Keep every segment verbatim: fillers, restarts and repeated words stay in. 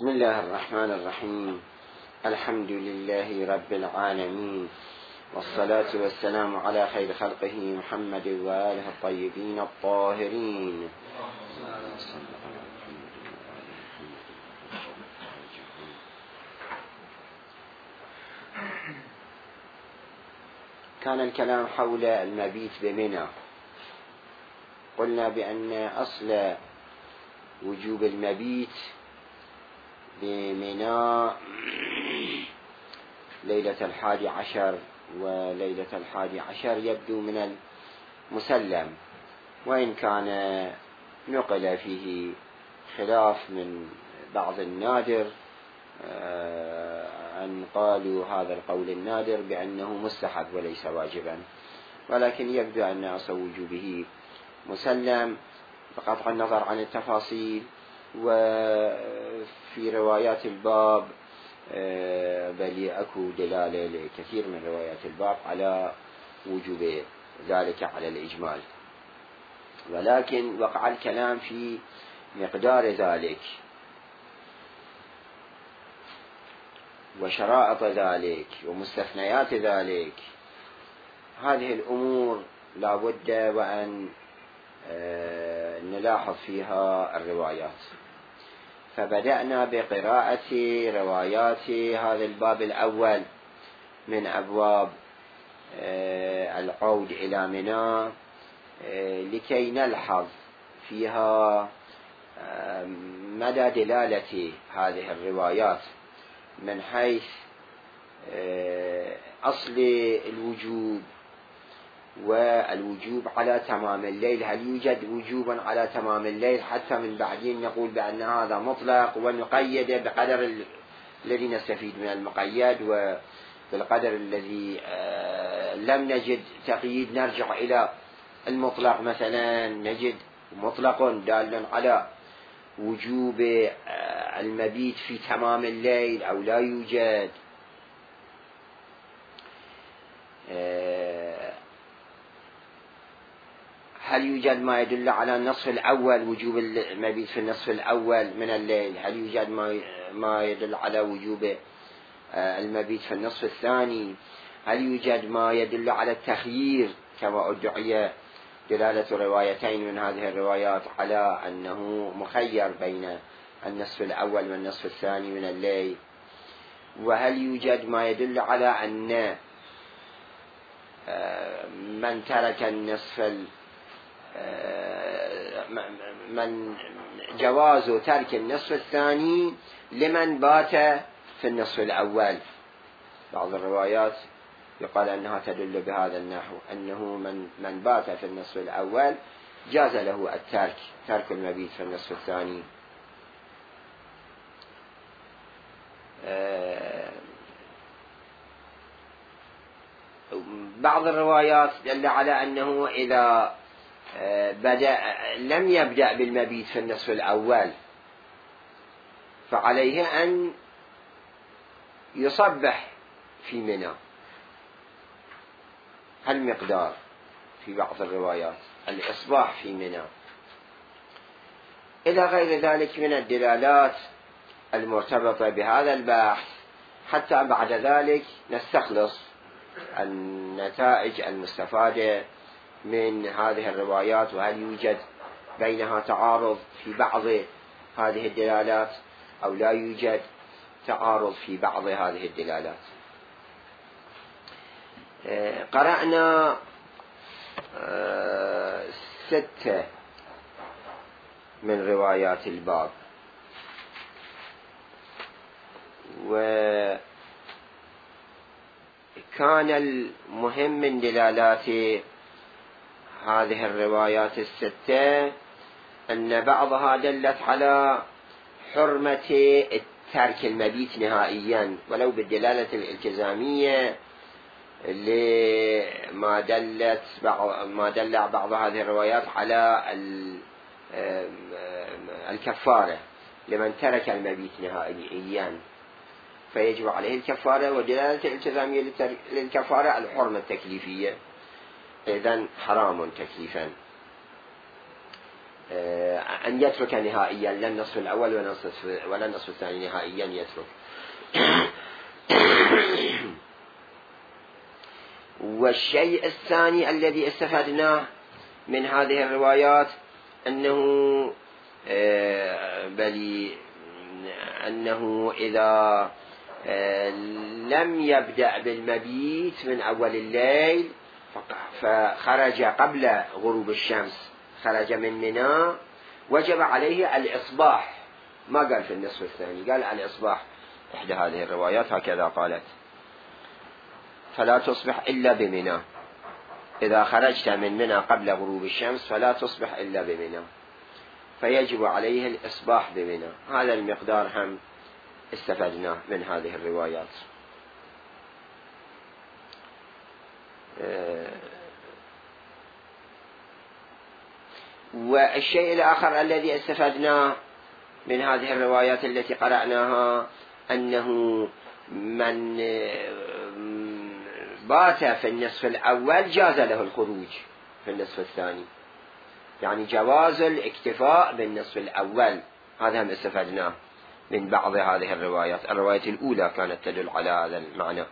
بسم الله الرحمن الرحيم. الحمد لله رب العالمين، والصلاة والسلام على خير خلقه محمد وآله الطيبين الطاهرين. كان الكلام حول المبيت بمنى. قلنا بأن أصل وجوب المبيت بمنى ليلة الحادي عشر، وليلة الحادي عشر يبدو من المسلم، وإن كان نقل فيه خلاف من بعض النادر أن قالوا هذا القول النادر بأنه مستحب وليس واجبا، ولكن يبدو أن أصل وجوبه مسلم بقطع النظر عن التفاصيل. وفي روايات الباب بل أكو دلالة لكثير من روايات الباب على وجوب ذلك على الإجمال، ولكن وقع الكلام في مقدار ذلك وشرائط ذلك ومستثنيات ذلك. هذه الأمور لا بد وأن نلاحظ فيها الروايات. فبدأنا بقراءة روايات هذا الباب الأول من أبواب العود إلى منى لكي نلحظ فيها مدى دلالة هذه الروايات من حيث أصل الوجوب والوجوب على تمام الليل. هل يوجد وجوبا على تمام الليل حتى من بعدين نقول بأن هذا مطلق ونقيد بقدر الذي نستفيد من المقيد، وبالقدر الذي لم نجد تقييد نرجع إلى المطلق، مثلا نجد مطلق دال على وجوب المبيت في تمام الليل أو لا يوجد. هل يوجد ما يدل على النصف الأول وجوب المبيت في النصف الأول من الليل؟ هل يوجد ما يدل على وجوب المبيت في النصف الثاني؟ هل يوجد ما يدل على التخيير كما ادعي دلالة روايتين من هذه الروايات على أنه مخير بين النصف الأول والنصف الثاني من الليل؟ وهل يوجد ما يدل على أن من ترك النصف من جواز ترك النصف الثاني لمن بات في النصف الأول؟ بعض الروايات يقال أنها تدل بهذا النحو، أنه من, من بات في النصف الأول جاز له الترك ترك المبيت في النصف الثاني. بعض الروايات دل على أنه إذا بدأ لم يبدأ بالمبيت في النصف الأول فعليه أن يصبح في منى. هالمقدار في بعض الروايات الإصباح في منى. إلى غير ذلك من الدلالات المرتبطة بهذا البحث، حتى بعد ذلك نستخلص النتائج المستفادة من هذه الروايات، وهل يوجد بينها تعارض في بعض هذه الدلالات أو لا يوجد تعارض في بعض هذه الدلالات. قرأنا ستة من روايات الباب، وكان المهم من دلالات هذه الروايات الستة أن بعضها دلت على حرمة ترك المبيت نهائيا ولو بالدلالة الالتزامية، لما دلت بعض ما دل بعض هذه الروايات على الكفارة لمن ترك المبيت نهائيا فيجب عليه الكفارة، ودلالة الالتزامية للكفارة الحرمة التكليفية، إذن حرام تكليفا. أن يترك نهائيا، لا النصف الأول ولا النصف الثاني، نهائيا يترك. والشيء الثاني الذي استفدناه من هذه الروايات أنه بل أنه إذا لم يبدأ بالمبيت من أول الليل فخرج قبل غروب الشمس، خرج من منى، وجب عليه الإصباح، ما قال في النصف الثاني، قال الإصباح. إحدى هذه الروايات هكذا قالت: فلا تصبح إلا بمنى، إذا خرجت من منى قبل غروب الشمس فلا تصبح إلا بمنى، فيجب عليه الإصباح بمنى. هذا المقدار هم استفدناه من هذه الروايات. والشيء الآخر الذي استفدناه من هذه الروايات التي قرأناها أنه من بات في النصف الأول جاز له الخروج في النصف الثاني، يعني جواز الاكتفاء بالنصف الأول. هذا هم استفدناه من بعض هذه الروايات. الرواية الأولى كانت تدل على هذا المعنى: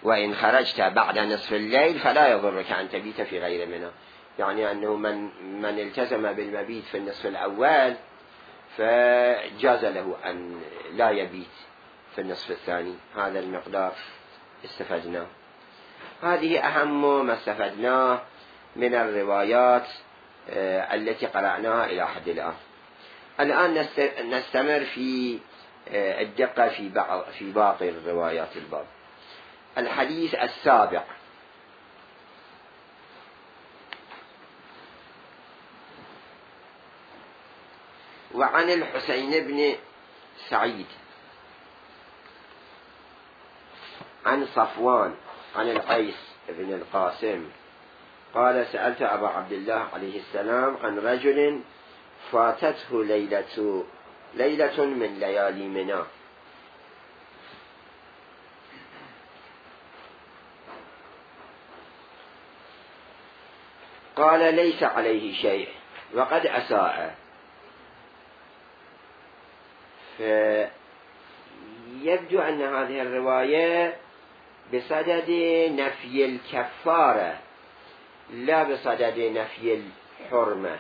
وإن خرجت بعد نصف الليل فلا يضرك أن تبيت في غير منى، يعني أنه من, من التزم بالمبيت في النصف الأول فجاز له أن لا يبيت في النصف الثاني. هذا المقدار استفدناه. هذه أهم ما استفدناه من الروايات التي قرأناها إلى حد الآن. الآن نستمر في الدقة في بعض في باقي الروايات الباب. الحديث السابع: وعن الحسين بن سعيد عن صفوان عن القيس بن القاسم قال: سألت أبا عبد الله عليه السلام عن رجل فاتته ليلة ليلة من ليالي منى، قال: ليس عليه شيء وقد أساء. فيبدو أن هذه الرواية بصدد نفي الكفارة لا بصدد نفي الحرمة،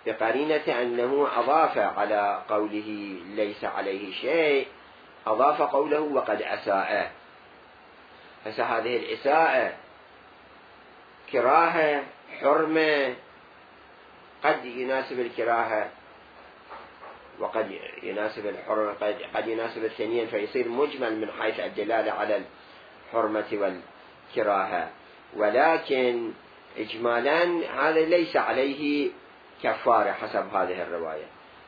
بقرينة أنه أضاف على قوله ليس عليه شيء، أضاف قوله وقد أساء. فهذه الإساءة كراهة، حرمة، قد يناسب الكراهة وقد يناسب الحرمة، قد, قد يناسب الثانيين، فيصير مجمل من حيث الدلالة على الحرمة والكراهة، ولكن إجمالا هذا ليس عليه كفارة حسب هذه الرواية.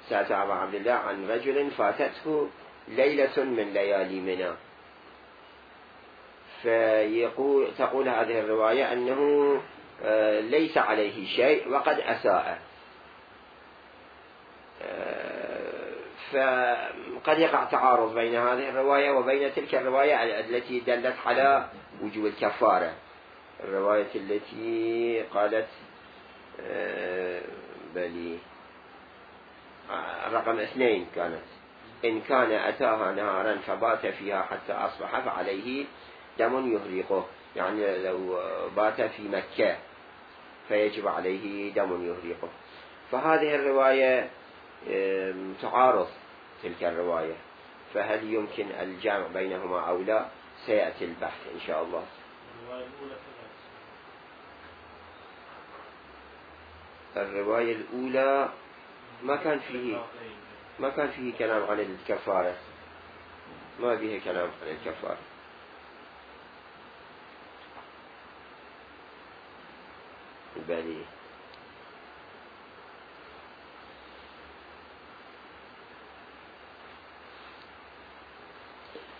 سألت أبا عبد الله عن رجل فاتته ليلة من ليالي منى، فيقول تقول هذه الرواية أنه ليس عليه شيء وقد أساء، فقد يقع تعارض بين هذه الرواية وبين تلك الرواية التي دلت على وجوب الكفارة، الرواية التي قالت بلي رقم اثنين كانت: إن كان أتاها نهارا فبات فيها حتى أصبح فعليه دم يهرقه، يعني لو بات في مكة فيجب عليه دم يهرقه. فهذه الرواية تعارض تلك الرواية، فهل يمكن الجمع بينهما أو لا؟ سيأتي البحث إن شاء الله. الرواية الأولى ما كان فيه ما كان فيه كلام عن الكفارة، ما فيه كلام عن الكفارة. بلي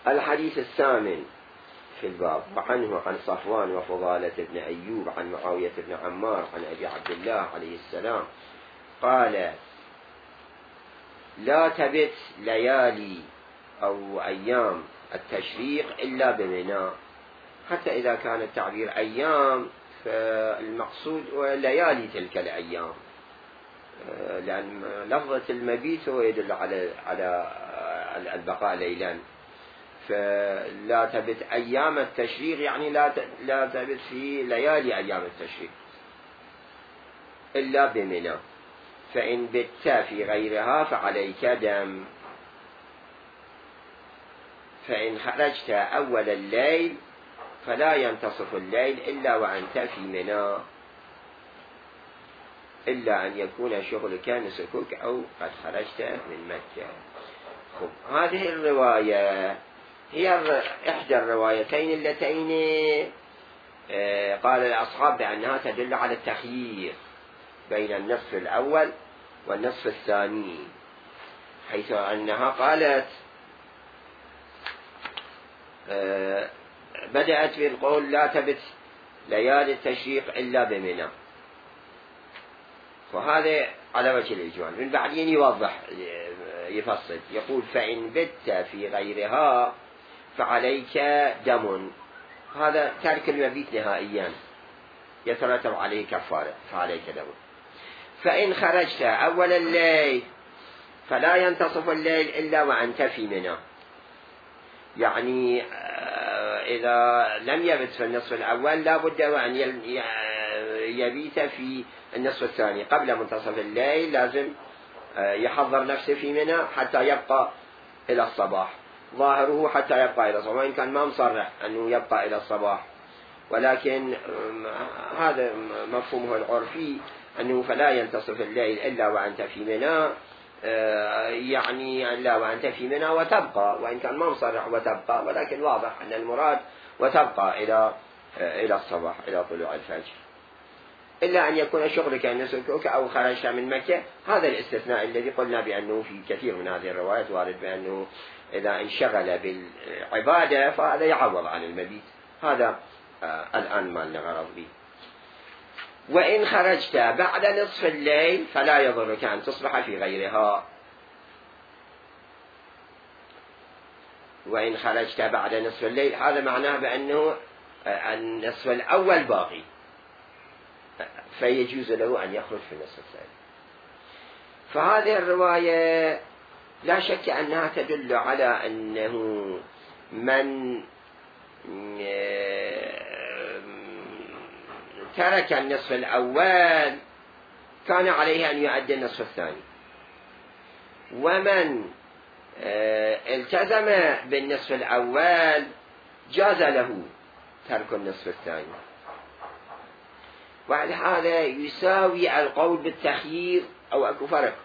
الحديث الثامن في الباب: وعنه عن صفوان وفضالة بن أيوب عن معاوية بن عمار عن أبي عبد الله عليه السلام قال: لا تبت ليالي أو أيام التشريق إلا بمنى، حتى إذا كان التعبير أيام فالمقصود هو ليالي تلك الأيام، لأن لفظة المبيت هو يدل على على البقاء ليلا، فلا تبت أيام التشريق يعني لا لا تبت في ليالي أيام التشريق إلا بمنى، فإن بت في غيرها فعليك دم، فإن خرجت أول الليل فلا ينتصف الليل إلا وأنت في منى، إلا أن يكون شغلك نسكك أو قد خرجت من مكة. خب هذه الرواية هي إحدى الروايتين اللتين قال الأصحاب بأنها تدل على التخيير بين النصف الأول والنصف الثاني، حيث أنها قالت بدأت بالقول لا تبت ليالي التشريق إلا بمنى، وهذا على وجه الإجمال. من بعدين يوضح يفصل يقول فإن بت في غيرها فعليك دم، هذا ترك المبيت نهائيا يترتب عليه كفارة، فعليك دم. فإن خرجت أول الليل فلا ينتصف الليل إلا وأنت في منى، يعني إذا لم يبت في النصف الأول لا بد وأن يبيت في النصف الثاني قبل منتصف الليل، لازم يحضر نفسه في منى حتى يبقى إلى الصباح، ظاهره حتى يبقى إلى الصباح، وإن كان ما مصرح أنه يبقى إلى الصباح، ولكن هذا مفهومه العرفي أنه فلا ينتصف الليل إلا وأنت في منى، يعني إلا وأنت في منى وتبقى، وإن كان ما مصرح وتبقى، ولكن واضح أن المراد وتبقى إلى إلى الصباح إلى طلوع الفجر، إلا أن يكون شغلك نسكك أو خرجت من مكة. هذا الاستثناء الذي قلنا بأنه في كثير من هذه الروايات وارد بأنه إذا انشغل بالعبادة فهذا يعوض عن المبيت، هذا آه الآن ما لنا غرض به. وإن خرجت بعد نصف الليل فلا يضرك أن تصبح في غيرها، وإن خرجت بعد نصف الليل هذا معناه بأنه النصف الأول باقي، فيجوز له أن يخرج في النصف الثاني. فهذه الرواية لا شك أنها تدل على أنه من ترك النصف الأول كان عليه أن يؤدي النصف الثاني، ومن التزم بالنصف الأول جاز له ترك النصف الثاني. وعلى هذا يساوي القول بالتخيير، أو أكو فرق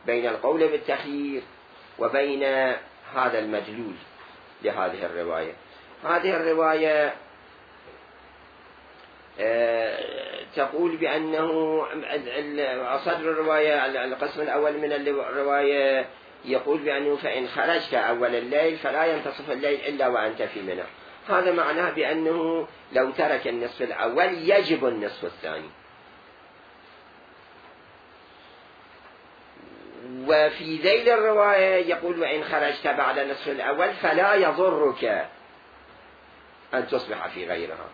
بين القول بالتخيير وبين هذا المدلول لهذه الرواية. هذه الرواية تقول بأنه صدر الرواية القسم الأول من الرواية يقول بأنه فإن خرجت أول الليل فلا ينتصف الليل إلا وأنت في منى، هذا معناه بأنه لو ترك النصف الأول يجب النصف الثاني. وفي ذيل الرواية يقول وإن خرجت بعد النصف الأول فلا يضرك أن تصبح في غيرها،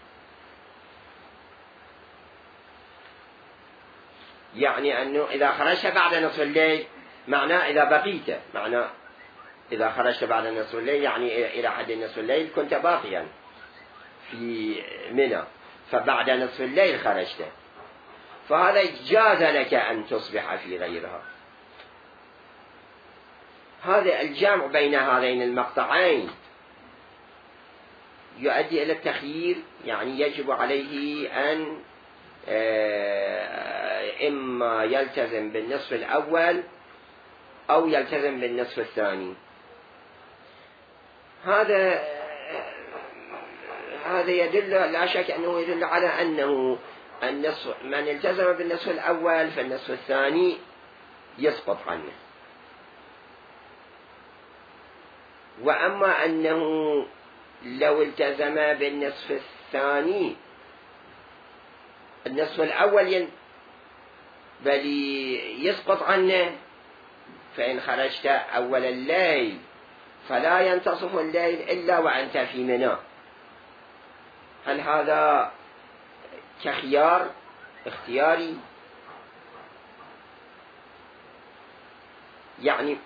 يعني أنه إذا خرجت بعد نصف الليل معناه إذا بقيت، معناه إذا خرجت بعد نصف الليل يعني إلى حد نصف الليل كنت باقيا في منى، فبعد نصف الليل خرجت، فهذا جاز لك أن تصبح في غيرها. هذا الجمع بين هذين المقطعين يؤدي إلى التخيير، يعني يجب عليه أن إما يلتزم بالنصف الأول أو يلتزم بالنصف الثاني. هذا هذا يدل لا شك أنه يدل على أنه النصف من التزم بالنصف الأول فالنصف الثاني يسقط عنه، وأما أنه لو التزم بالنصف الثاني النصف الأول بل يسقط عنه، فإن خرجت أول الليل فلا ينتصف الليل إلا وأنت في منى. هل هذا كخيار اختياري، يعني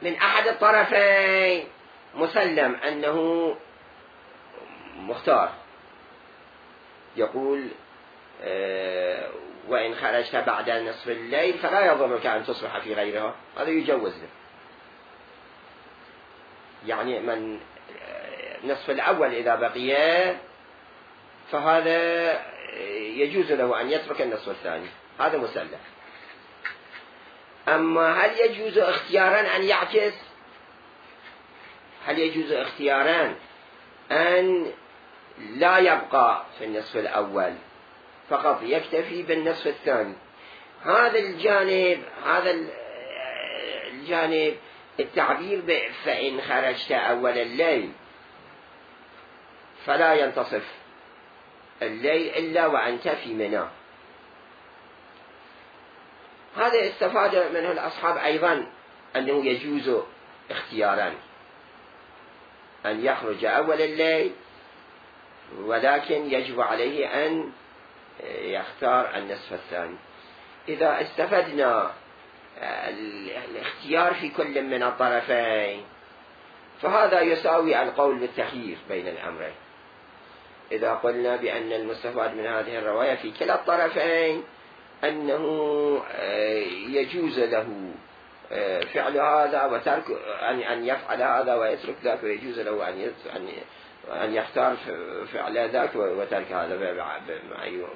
من أحد الطرفين مسلم أنه مختار، يقول آه وإن خرجت بعد نصف الليل فلا يضرك أن تصبح في غيرها، هذا يجوز له. يعني من نصف الأول إذا بقي فهذا يجوز له أن يترك النصف الثاني، هذا مسلم. أما هل يجوز اختيارا أن يعكس؟ هل يجوز اختيارا أن لا يبقى في النصف الأول فقط يكتفي بالنصف الثاني؟ هذا الجانب هذا الجانب التعبير فإن خرجت أول الليل فلا ينتصف الليل إلا وأنت في منى، هذا استفاد منه الأصحاب أيضا أنه يجوز اختيارا أن يخرج أول الليل، ولكن يجب عليه أن يختار النصف الثاني. إذا استفدنا الاختيار في كل من الطرفين فهذا يساوي القول بالتخيير بين الأمرين. إذا قلنا بأن المستفاد من هذه الرواية في كلا الطرفين أنه يجوز له فعل هذا وترك أن يفعل هذا ويترك ذاك، ويجوز له أن أن يختار فعل ذاك وترك هذا،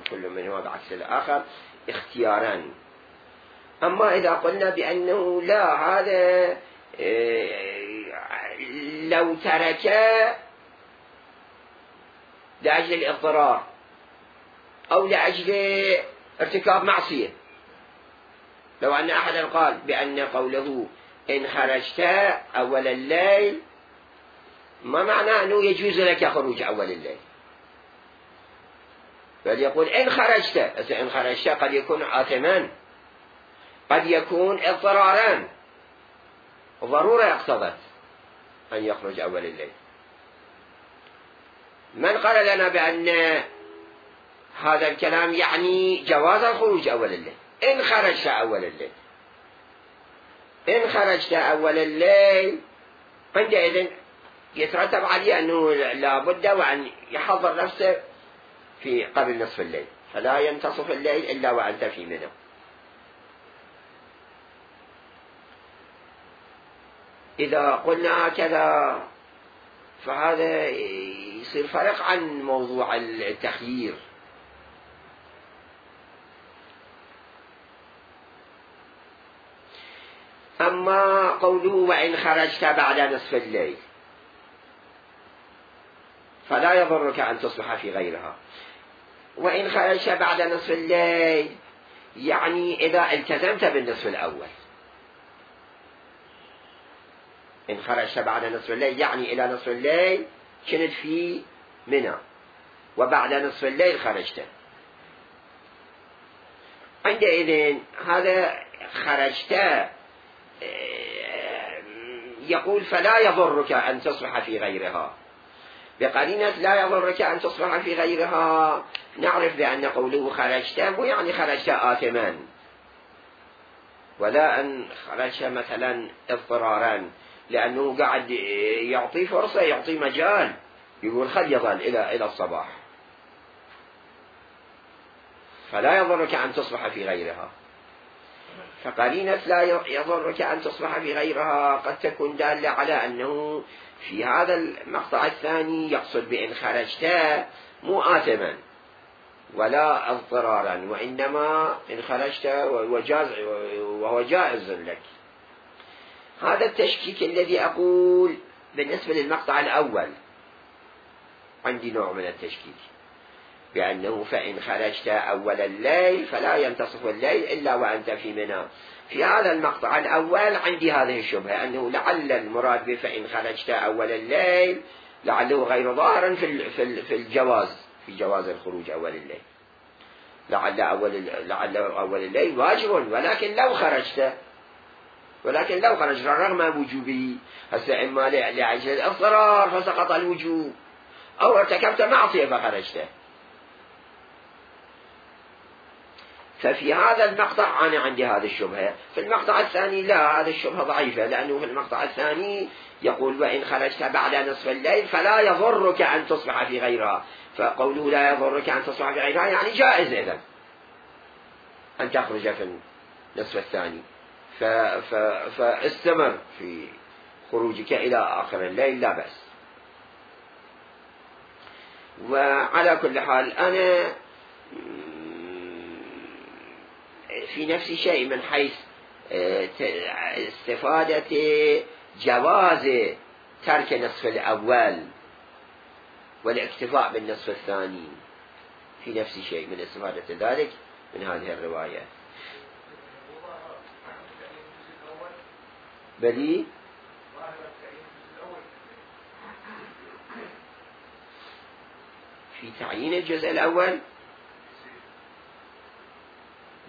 كل منهما بعكس الآخر اختيارا. أما إذا قلنا بأنه لا، هذا لو ترك لأجل الاضطرار أو لأجل ارتكاب معصية، لو أن أحدا قال بأن قوله إن خرجت أول الليل ما معنى أنه يجوز لك خروج أول الليل، بل يقول إن خرجت. إن خرجت قد يكون آثما، قد يكون اضطرارا، ضرورة اقتضت أن يخرج أول الليل. من قال لنا بأن هذا الكلام يعني جواز الخروج أول الليل؟ إن خرجت أول الليل، إن خرجت أول الليل عندئذ يترتب عليه أنه لا بد وأن يحضر نفسه في قبل نصف الليل، فلا ينتصف الليل إلا وأنت في منى. إذا قلنا هكذا فهذا يصير فرق عن موضوع التخيير. أما قوله وإن خرجت بعد نصف الليل فلا يضرك أن تصبح في غيرها، وإن خرجت بعد نصف الليل يعني إذا التزمت بالنصف الأول. إن خرجت بعد نصف الليل يعني إلى نصف الليل كنت في منى، وبعد نصف الليل خرجت، عندئذ هذا خرجت يقول فلا يضرك أن تصبح في غيرها، بقرينة لا يضرك أن تصبح في غيرها نعرف بأن قوله خرجت مو يعني خرجت آثما، ولا أن خرجت مثلا اضطرارا، لأنه قاعد يعطي فرصة، يعطي مجال، يقول خل يظل إلى إلى الصباح، فلا يضرك أن تصبح في غيرها. فقرينة لا يضرك أن تصبح في غيرها قد تكون دالة على أنه في هذا المقطع الثاني يقصد بإن خرجت مو آثما ولا اضطرارا، وإنما إن خرجت وهو جائز لك. هذا التشكيك الذي أقول بالنسبة للمقطع الأول عندي نوع من التشكيك، بأنه فإن خرجت أول الليل فلا ينتصف الليل إلا وأنت في منى. في هذا المقطع الأول عندي هذه الشبهة أنه لعل المراد بفإن خرجت أول الليل لعله غير ظاهر في في الجواز، في جواز الخروج أول الليل، لعل أول لعل أول الليل واجب، ولكن لو خرجت ولكن لو خرجت رغم وجوبه، هسه إما لأجل الاضطرار فسقط الوجوب، أو ارتكبت معصية فخرجت، ففي هذا المقطع أنا عندي هذه الشبهة. في المقطع الثاني لا، هذه الشبهة ضعيفة، لأنه في المقطع الثاني يقول وإن خرجت بعد نصف الليل فلا يضرك أن تصبح في غيرها، فقوله لا يضرك أن تصبح في غيرها يعني جائز إذن أن تخرج في النصف الثاني، ف... ف... فاستمر في خروجك إلى آخر الليل لا بأس. وعلى كل حال أنا في نفس شيء من حيث استفادة جواز ترك النصف الأول والاكتفاء بالنصف الثاني، في نفس شيء من استفادة ذلك من هذه الرواية. بلي في تعيين الجزء الأول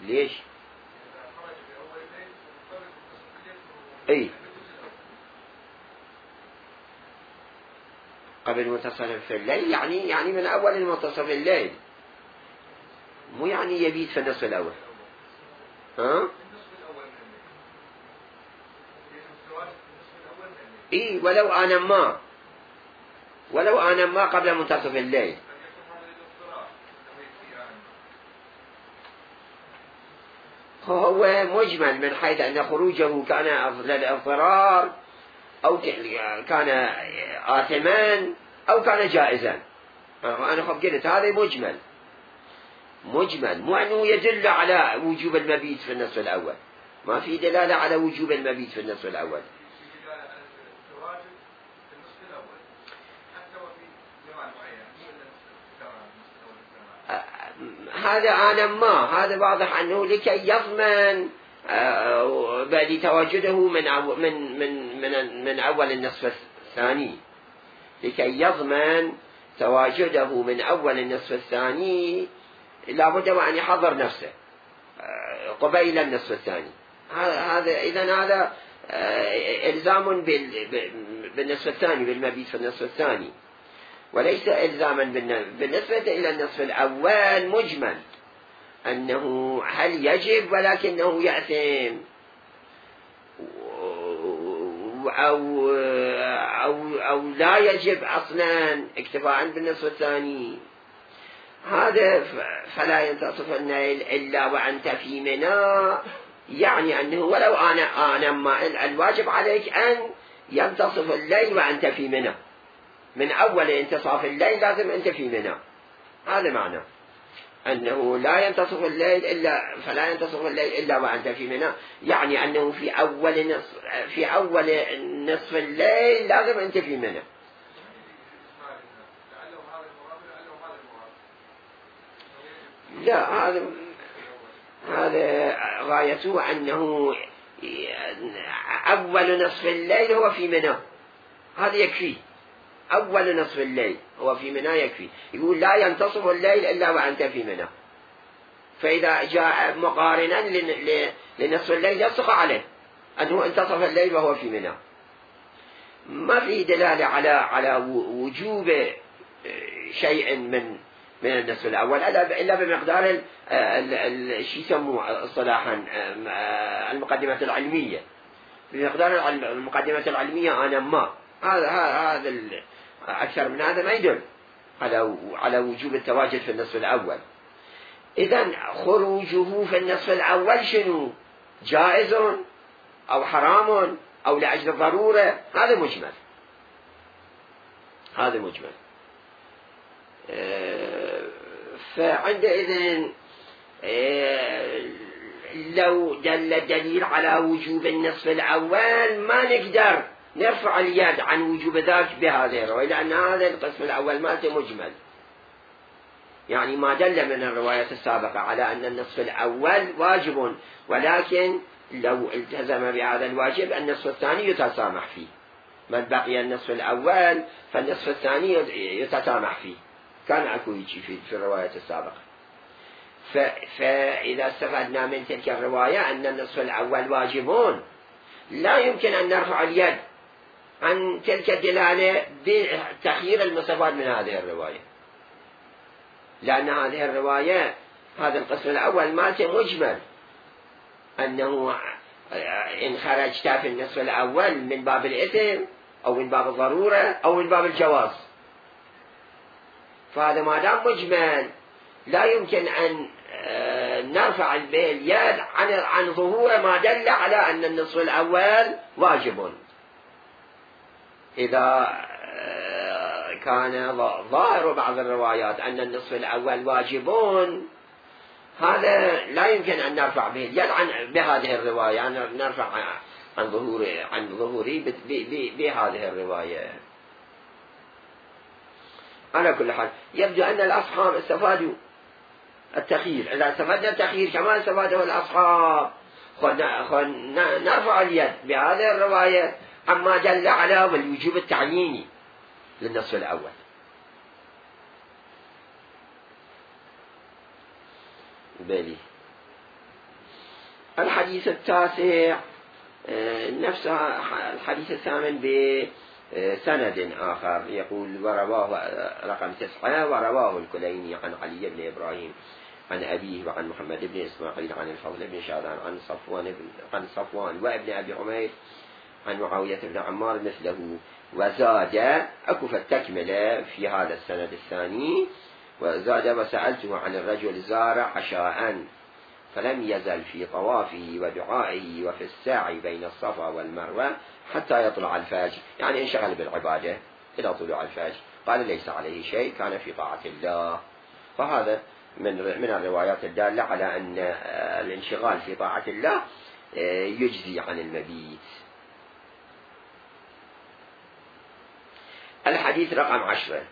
ليش؟ اي قبل منتصف في الليل، يعني يعني من أول منتصف الليل، مو يعني يبيت في النصف الأول. ها؟ اي ولو أنا ما ولو أنا ما قبل منتصف الليل. هو مجمل من حيث أن خروجه كان للاضطرار أو كان آثما أو كان جائزا. أنا خب قلت هذا مجمل مجمل، مو أنه يدل على وجوب المبيت في النصف الأول، ما في دلالة على وجوب المبيت في النصف الأول. هذا أنا ما هذا واضح أنه لكي يضمن لتواجده من من من من من أول النصف الثاني، لكي يضمن تواجده من أول النصف الثاني لابد وأن يحضر نفسه قبيل النصف الثاني. هذا إذن هذا إلزام بالنصف الثاني، بالمبيت في النصف الثاني، وليس إلزاما بالنسبة إلى النصف الأول مجمل أنه هل يجب ولكنه يأثم أو, أو, أو لا يجب أصلا اكتفاء بالنصف الثاني. هذا فلا ينتصف الليل إلا وأنت في منى، يعني أنه ولو أنا أنا ما الواجب عليك أن ينتصف الليل وأنت في منى، من أول انتصاف الليل لازم أنت في منى. هذا معنى أنه لا ينتصف الليل إلا فلا ينتصف الليل إلا وأنت في منى، يعني أنه في أول نصف في أول نصف الليل لازم أنت في منى. لا، هذا هذا غايته أنه أول نصف الليل هو في منى، هذا يكفي. أول نصف الليل هو في منى يكفي. يقول لا ينتصف الليل إلا وأنت في منى، فإذا جاء مقارنا لنصف الليل يصح عليه أنه انتصف الليل وهو في منى. ما في دلالة على على وجوب شيء من من النصف الأول إلا بمقدار شو يسموه اصطلاحا المقدمة العلمية. بمقدار المقدمة العلمية أنا ما هذا هذا أكثر من هذا ما يدل على على وجوب التواجد في النصف الأول. إذن خروجه في النصف الأول شنو؟ جائز أو حرام أو لأجل الضرورة؟ هذا مجمل، هذا مجمل. فعندئذ لو دل الدليل على وجوب النصف الأول ما نقدر نرفع اليد عن وجوب ذلك بهذه الرواية، لأن هذا القسم الأول مالته مجمل، يعني ما دل من الرواية السابقة على أن النصف الأول واجب، ولكن لو التزم بهذا الواجب النصف الثاني يتسامح فيه، من بقي النصف الأول فالنصف الثاني يتسامح فيه، كان أكو يجي في, في الرواية السابقة. فإذا استفدنا من تلك الرواية أن النصف الأول واجبون، لا يمكن أن نرفع اليد عن تلك الدلالة بتخيير المستفاد من هذه الرواية، لأن هذه الرواية هذا القسم الأول مالته مجمل، أنه إن خرجت في النصف الأول من باب الإثم أو من باب الضرورة أو من باب الجواز، فهذا ما دام مجمل لا يمكن أن نرفع اليد عن عن ظهور ما دل على أن النصف الأول واجب. إذا كان ظاهر بعض الروايات أن النصف الأول واجبون، هذا لا يمكن أن نرفع به اليد عن بهذه الرواية، يعني نرفع عن ظهور عن ظهوري بهذه الرواية. على كل حال يبدو أن الأصحاب استفادوا التخيير. إذا استفدنا التخيير كما استفاده الأصحاب، نرفع اليد بهذه الرواية عما دل على والوجوب التعييني للنصف الأول. بلي الحديث التاسع نفس الحديث الثامن بسند آخر، يقول ورواه رقم تسعة، ورواه الكليني عن علي بن إبراهيم عن أبيه وعن محمد بن إسماعيل عن الفضل بن شاذان عن صفوان بن عن صفوان وابن أبي عمير عن معاوية بن عمار مثله، وزاد أكو التكملة في هذا السند الثاني، وزاد وسألته عن الرجل زار عشاء فلم يزل في طوافه ودعائه وفي السعي بين الصفا والمروة حتى يطلع الفجر، يعني انشغل بالعبادة إلى طلوع الفجر، قال ليس عليه شيء، كان في طاعة الله. فهذا من من الروايات الدالة على أن الانشغال في طاعة الله يجزي عن المبيت. الحديث رقم عشرة،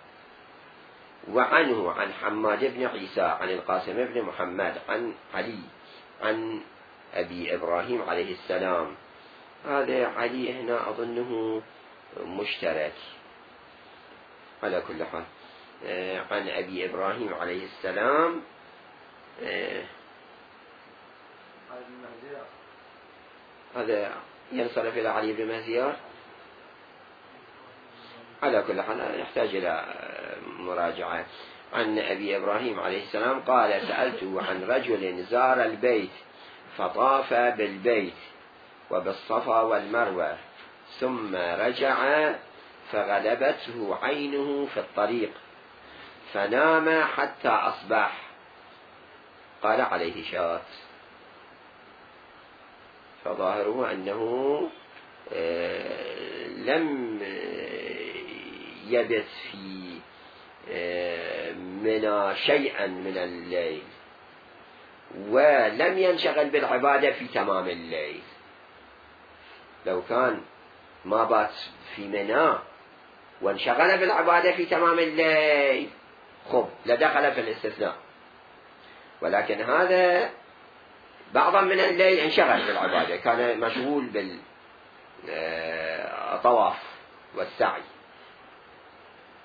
وعنه عن حماد بن عيسى عن القاسم بن محمد عن علي عن أبي إبراهيم عليه السلام. هذا علي هنا أظنه مشترك. على كل حال عن أبي إبراهيم عليه السلام هذا ينصرف إلى علي بن مهزيار. على كل حال يحتاج إلى مراجعة. عن أبي إبراهيم عليه السلام قال سألته عن رجل زار البيت فطاف بالبيت وبالصفا والمروة ثم رجع فغلبته عينه في الطريق فنام حتى أصبح، قال عليه شاة. فظاهره أنه لم يبت في منى شيئا من الليل ولم ينشغل بالعبادة في تمام الليل. لو كان ما بات في منى وانشغل بالعبادة في تمام الليل خب لدخل في الاستثناء، ولكن هذا بعضا من الليل انشغل بالعبادة، كان مشغول بالطواف والسعي،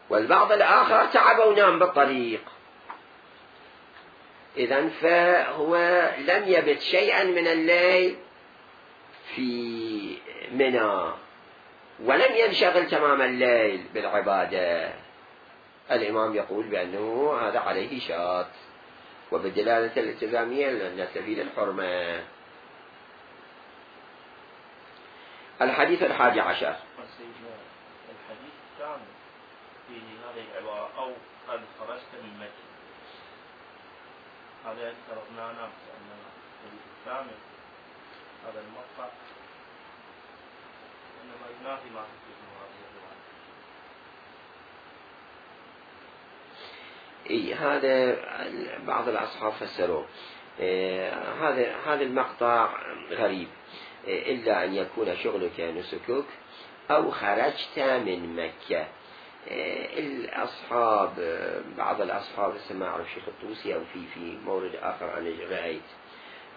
والبعض الآخر تعب ونام بالطريق. إذن فهو لم يبت شيئا من الليل في منى ولم ينشغل تمام الليل بالعبادة. الإمام يقول بأنه هذا عليه شاة، وبالدلالة الالتزامية نستفيد الحرمة. الحديث الحادي عشر، الحديث الثامن في هذه العبارة أو قد خرجت من مكة، هذا افترضنا نفس أن الحديث الثامن هذا المقطع إنما ينافي ما في هذه الرواية. إيه هذا بعض الأصحاب فسروه. إيه هذا هذا المقطع غريب، إيه إلا أن يكون شغلك نسكك أو خرجت من مكة. إيه الأصحاب بعض الأصحاب ما أعرف شيخ الطوسي أو في في مورد آخر أنا رأيت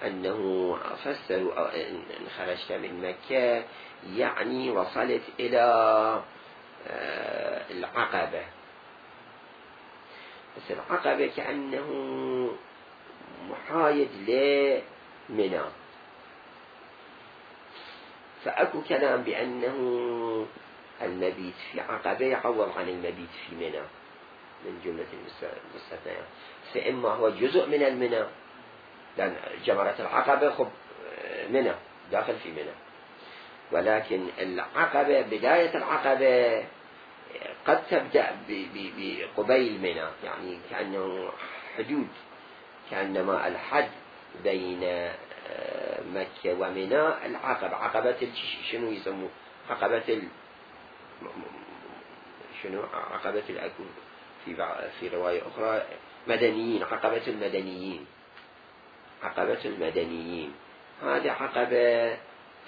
أنه فسروا إن خرجت من مكة يعني وصلت إلى العقبة، بس العقبة كأنه محايد لمنى، فأكو كلام بأنه المبيت في عقبة يعوض عن المبيت في منى. من جملة المستثنيات، فإما هو جزء من المنى، لأن جمرة العقبة خب منى داخل في منى، ولكن العقبة بداية العقبة قد تبدأ بقبيل منى، يعني كأنه حدود، كأنما الحد بين مكة ومنى العقبة، عقبة شنو يسموه عقبة ال... شنو عقبة الأكو في في رواية أخرى مدنيين، عقبة المدنيين، عقبة المدنيين، هذه عقبة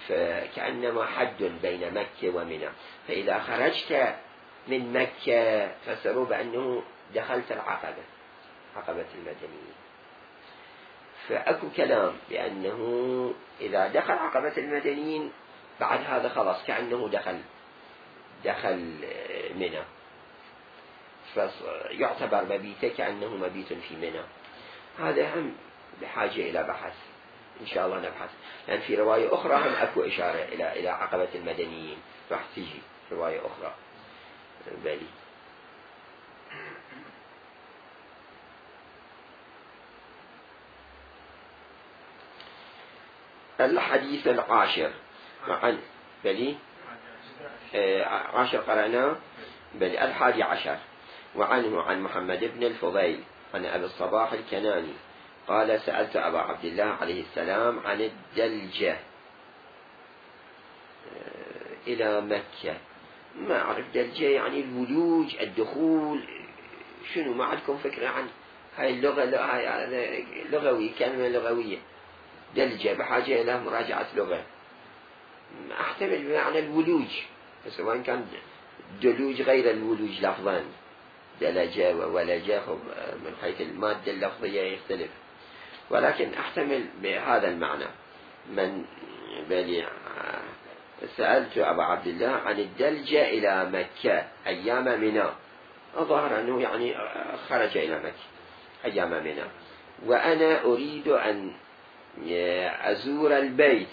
فكأنما حد بين مكة ومنى، فإذا خرجت من مكة فسروا بأنه دخلت العقبة، عقبة المدنيين. فأكو كلام بأنه إذا دخل عقبة المدنيين بعد هذا خلاص كأنه دخل دخل منى، فيعتبر مبيته كأنه مبيت في منى. هذا هم بحاجة إلى بحث إن شاء الله نبحث، لأن في رواية أخرى هم أكو إشارة إلى إلى عقبة المدنيين، راح تيجي رواية أخرى بالي. الحديث العاشر عن بلي آه عاشر قرأناه بلي. الحادي عشر وعنه عن محمد بن الفضيل عن أبي الصباح الكناني قال سألت أبا عبد الله عليه السلام عن الدلجة آه إلى مكة. ما أعرف دلجة يعني الولوج الدخول، شنو ما عندكم فكرة عن هاي اللغة؟ هاي لغوي، كلمة لغوية دلجة بحاجة إلى مراجعة لغة. أحتمل بمعنى الولوج، سواء كان دلوج غير الولوج لفظا، دلجة وولجة من حيث المادة اللفظية يختلف، ولكن أحتمل بهذا المعنى. من بلي سألت أبا عبد الله عن الدلجة إلى مكة أيام منى، الظاهر أنه يعني خرج إلى مكة أيام منى، وأنا أريد أن أزور البيت،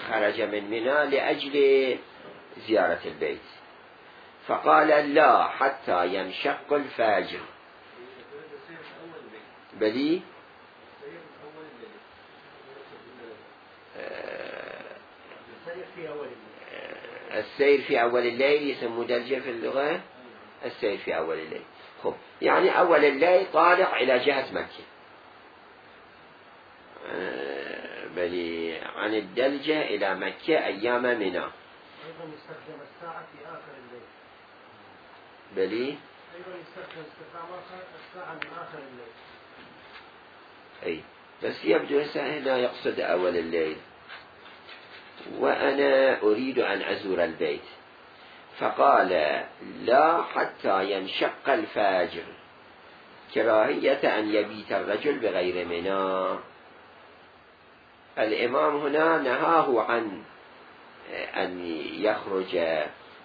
خرج من منى لأجل زيارة البيت، فقال لا حتى ينشق الفجر. بلي السير في أول الليل يسمى دلجة في اللغة، السير في أول الليل. خب يعني أول الليل طالع إلى جهة مكة. بلي عن الدلجة إلى مكة أيام منى. أيضا يستخدم الساعة في آخر الليل. بلي أيضا يستخدم استخدام الساعة من آخر الليل. أي بس يبدو هنا يقصد أول الليل. وأنا أريد أن أزور البيت، فقال لا حتى ينشق الفجر، كراهية أن يبيت الرجل بغير منى. الإمام هنا نهاه عن أن يخرج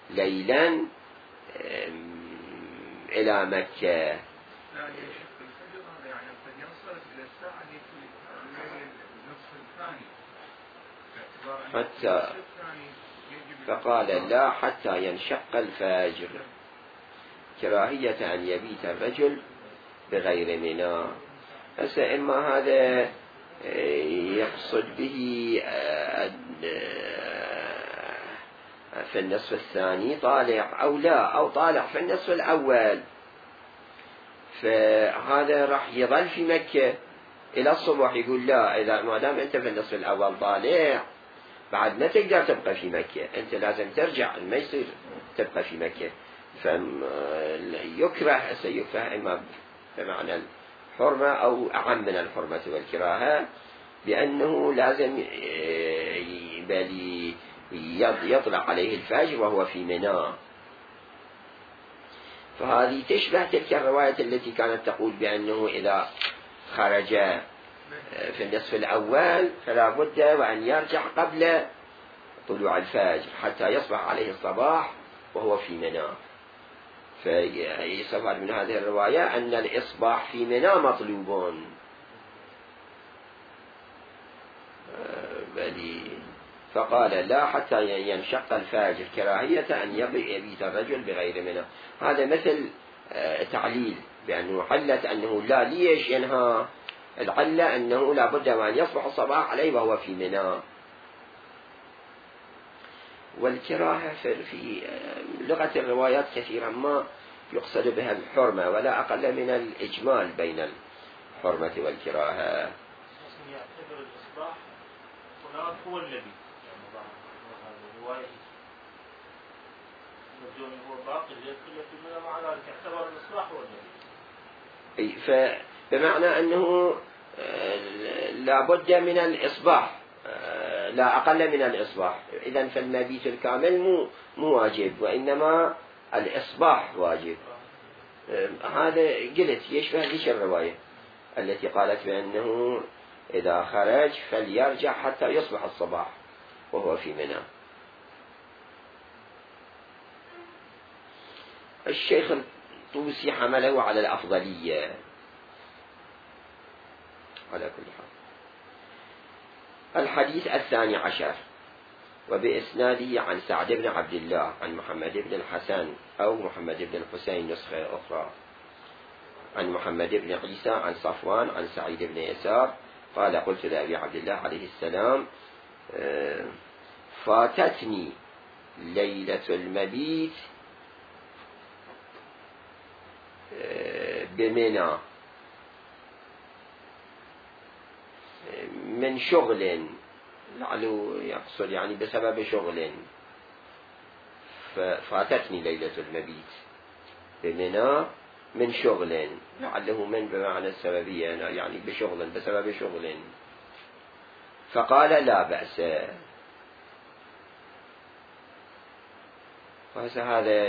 ليلا إلى مكة، حتى فقال لا حتى ينشق الفجر، كراهية أن يبيت الرجل بغير منى. هسه إما هذا يقصد به في النصف الثاني طالع أو لا، أو طالع في النصف الأول، فهذا راح يظل في مكة إلى الصبح. يقول لا، إذا ما دام أنت في النصف الأول طالع بعد ما تقدر تبقى في مكة، أنت لازم ترجع، ما يصير تبقى في مكة. فيكره سيكره إما بمعنى الحرمة أو أعم من الحرمة والكراهة، بأنه لازم بل يطلع عليه الفجر وهو في منى. فهذه تشبه تلك الرواية التي كانت تقول بأنه إذا خرج في النصف الأول فلا بد وأن يرجع قبل طلوع الفجر حتى يصبح عليه الصباح وهو في منى. فيستفاد من هذه الرواية أن الإصباح في منى مطلوب. بلي فقال لا حتى ينشق الفاجر كراهية أن يبيت الرجل بغير منى. هذا مثل تعليل بأنه علة أنه لا. ليش ينهى؟ العلة أنه لا بد وأن يصبح الصباح عليه وهو في منى. والكراهة في لغة الروايات كثيرا ما يقصد بها الحرمة ولا أقل من الإجمال بين الحرمة والكراهة. يعتبر الإصلاح هناك هو النبي يعني بعض الرواية الجوني هو باقي يدخل في منى، مع ذلك اعتبر الإصلاح هو النبي. فبمعنى أنه لا بد من الإصباح لا أقل من الإصباح. إذن فالمبيت الكامل مو مو واجب وإنما الإصباح واجب. هذا قلت يشبه ليش الرواية التي قالت بأنه إذا خرج فليرجع حتى يصبح الصباح وهو في منى. الشيخ الطوسي حمله على الأفضلية على كل حال. الحديث الثاني عشر وبإسناده عن سعد بن عبد الله عن محمد بن الحسن أو محمد بن الحسين نسخة أخرى عن محمد بن عيسى عن صفوان عن سعيد بن يسار قال قلت لأبي عبد الله عليه السلام فاتتني ليلة المبيت بمنى من شغل، لعله يقصد يعني بسبب شغل. فاتتني ليلة المبيت بمنى من شغل، لعله من بمعنى السببية يعني بشغل بسبب شغل. فقال لا بأس. هذا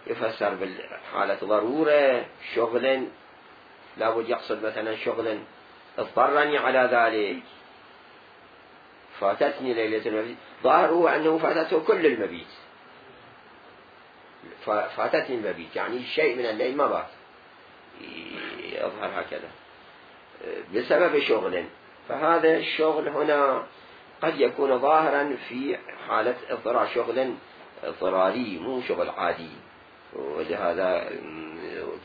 يفسر بالحالة ضرورة شغل، لا بد يقصد مثلا شغل اضطرني على ذلك. فاتتني ليلة المبيت ظاهره أنه فاتته كل المبيت. فاتتني المبيت يعني شيء من الليل ما بات، يظهر هكذا بسبب شغل. فهذا الشغل هنا قد يكون ظاهرا في حالة اضطرار، شغل اضطراري مو شغل عادي. ولهذا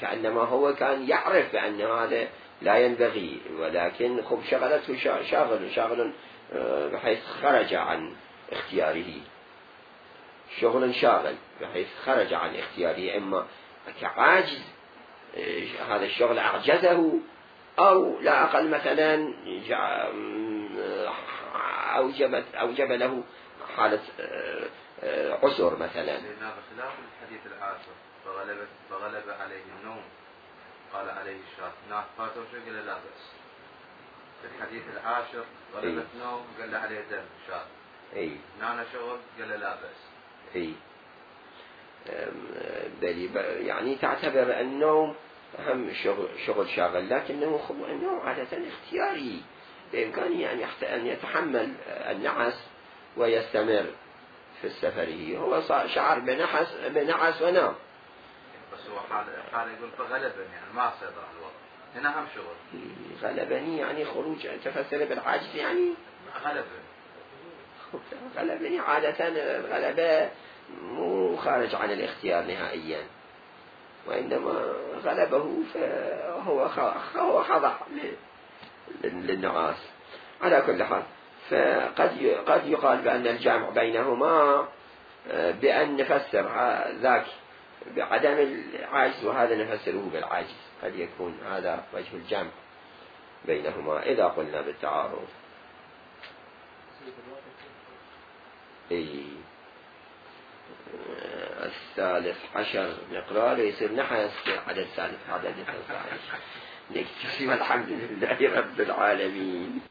كأنما هو كان يعرف بأن هذا لا ينبغي، ولكن خب شغلته شاغل شاغل بحيث خرج عن اختياره، شغل شاغل بحيث خرج عن اختياره، إما كعاجز هذا الشغل أعجزه، أو لا أقل مثلا أوجب, أوجب له حالة عسر مثلا. بخلاف الحديث العاشر فغلب, فغلب عليه النوم قال عليه الشاة ناس فاتوا شو قال لا بأس. في الحديث العاشر غلبت إيه؟ نوم قال عليه دم شاة. اي نانا شغل قال لا بأس. اي يعني تعتبر النوم أهم شغل, شغل شاغل، لكنه النوم عادة اختياري، بإمكانه أن يتحمل النعس ويستمر في سفره. هو شعر بنحس بنعس ونام، بس هو حال حال يقول فغلبني يعني ما سيطر على الوضع. هنا أهم شغل غلبني يعني خروج، تفسر بالعاجز يعني غلبني غلبني عادة الغلبة مو خارج عن الاختيار نهائيا، وإنما غلبه فهو هو خضع للنعاس. على كل حال فقد قد يقال بأن الجامع بينهما بأن نفسر ذاك بعدم العجز وهذا نفسره بالعجز، قد يكون هذا وجه الجمع بينهما إذا قلنا بالتعارض. إيه. الثالث عشر نقرأ يصير نحس عدد الثالث عدد الثالث نكتفي والحمد لله رب العالمين.